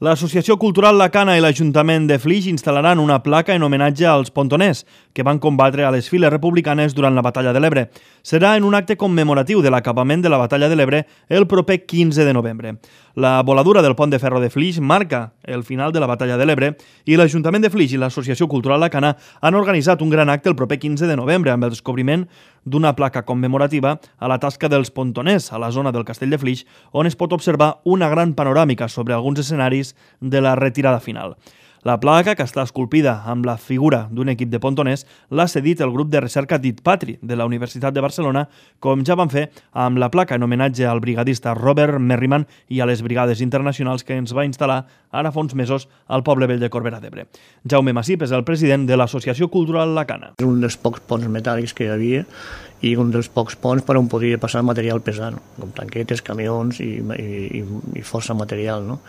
L'Associació Cultural La Cana i l'Ajuntament de Flix instal·laran una placa en homenatge als pontoners que van combatre a les files republicanes durant la Batalla de l'Ebre. Serà en un acte commemoratiu de l'acabament de la Batalla de l'Ebre el proper 15 de novembre. La voladura del pont de ferro de Flix marca el final de la Batalla de l'Ebre i l'Ajuntament de Flix i l'Associació Cultural La Cana han organitzat un gran acte el proper 15 de novembre amb el descobriment d'una placa commemorativa a la tasca dels pontoners a la zona del Castell de Flix, on es pot observar una gran panoràmica sobre alguns escenaris de la retirada final. La placa, que està esculpida amb la figura d'un equip de pontoners, l'ha cedit el grup de recerca Dit Patri de la Universitat de Barcelona, com ja van fer amb la placa en homenatge al brigadista Robert Merriman i a les brigades internacionals que ens va instal·lar ara fa uns mesos al poble vell de Corbera d'Ebre. Jaume Massip és el president de l'Associació Cultural La Cana. És un dels pocs ponts metàl·lics que hi havia i un dels pocs ponts per on podia passar material pesant, com tanquetes, camions i força material, no?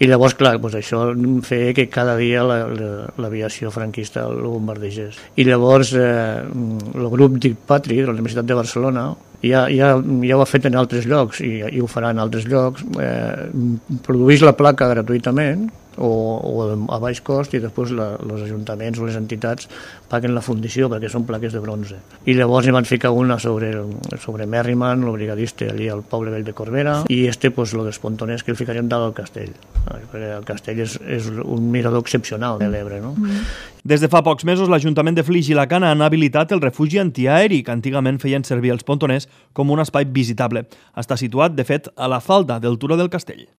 I llavors, clar, doncs això feia que cada dia l'aviació franquista el bombardegés. I llavors el grup Dit Patri de la Universitat de Barcelona ja ho ha fet en altres llocs i ho farà en altres llocs. Produeix la placa gratuïtament o a baix cost i després els ajuntaments o les entitats paguen la fundició perquè són plaques de bronze. I llavors hi van ficar una sobre Merriman, el brigadista allí al poble vell de Corbera, i el dels pontoners que el ficarem dalt al castell, perquè el castell és un mirador excepcional de l'Ebre, no? Des de fa pocs mesos, l'Ajuntament de Flix i La Cana han habilitat el refugi antiaeri que antigament feien servir els pontoners com un espai visitable. Està situat, de fet, a la falda del turó del castell.